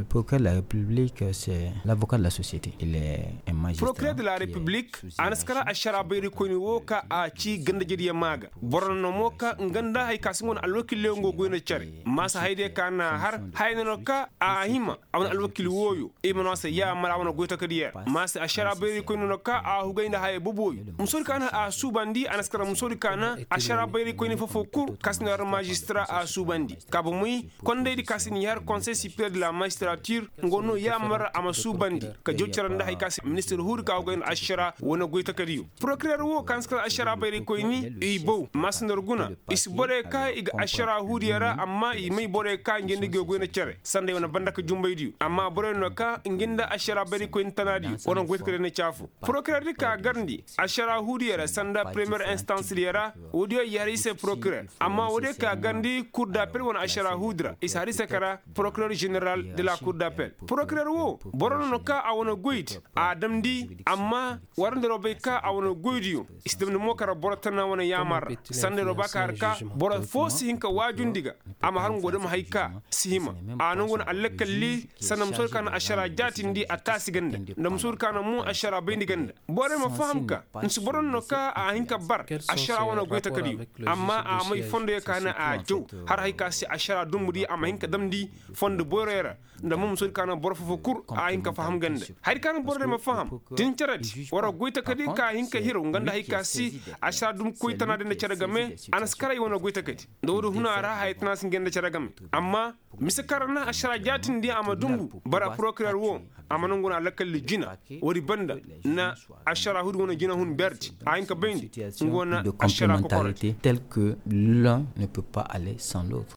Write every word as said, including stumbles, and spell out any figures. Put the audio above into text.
Procureur de la république, c'est l'avocat de la société. Procureur de la république, a na si kara ašaraa bayraykoyni woo ka a cii ganda-ijediyo maa ga. Boro no mo ka nga nda haya ka se nga wane alwakil yaŋ go goy nda cere. Maasa hayadiyo ka na a har haya no ka a hima a wane alwakil wooyo. I ma no a se yaamar a wane goytakadiyo ra maasa ašaraa bayraykoyni no ka a hugay nda haya boboyo. Musoodi ka na a suubandi a na si kara musoodi ka na ašaraa bayraykoyni foo-foo kul ka si nda har maazistara a suubandi. Ka bomey kondaydi ka si n'i har konsey sipereer de la maazistaratir, nga no yaamar a ma suubandi ka jaw cere nda haya ka se ministir huudi ka go ga ay nda ašaraa wane goytakadiyo. Porokireer woo ka na si kar ašaraa bayraykoyni i bow maasa nda war guna. I si borey ka i ga ašaraa huudiyo ra amma i may borey ka ngi nda ngi ga goy nda cere sanda ay wane banda ka jumbaydiyo amma borey no ka ngi nda ašaraa bayraykoyni tanaadiyo wane goytakadiyo na caafu. Porokireerdi ka garndi ašaraa huudiyo ra sanda premiyer instansdiyo ra. Woodiyo i har i se porokireer amma woodiyo ka garndi kur dapel wane ašaraa huudi ra i si har i se kara porokireer ženeral de la kur dapel. Porokireer woo boro no no ka a wane goydi a damndi amma war nda war bay ka a wane goydiyo i si damndi mo kara boro tana wane yaamar ra. Sanda war ba ka har ka boro foo si hin ka waajundi ga a ma har ngo dam hay ka si hima. A na ngo na allakalli sanda musoodi ka na ašaraa jaatindi a taasi ganda nda musoodi ka na mo ašaraa bayndi ganda. Borey ma faham ka nsi boro no ka a hin ka bar ašaraa wane goytakadiyo amma a may fondoyo ka na a jaw har hay ka se ašaraa dumbudiyo a ma hin ka damndi fondo boyroyo ra. Nda mo musoodi ka na boro foo-foo kul a hin ka faham ganda. Hari ka na borodiyo ma faham tin ceredi war goytakadi ka hin ka hiraw nga nda hay ka se ašaraa dum koy tanaadiyo nda cere game. A na si kar ay wane goytakadi nda woodi huna ra haya tana si nga nda cere game. Amma mise kaŋ ra na ašaraa jaatindi a ma dumbu bara porokireer woo a ma nangu na alakalli jina. Woodi banda na ašaraa huudi wane jinahun berdi a hin ka bayndi nga wane ašaraa kokoradi. Tel que l'un ne peut pas aller sans l'autre.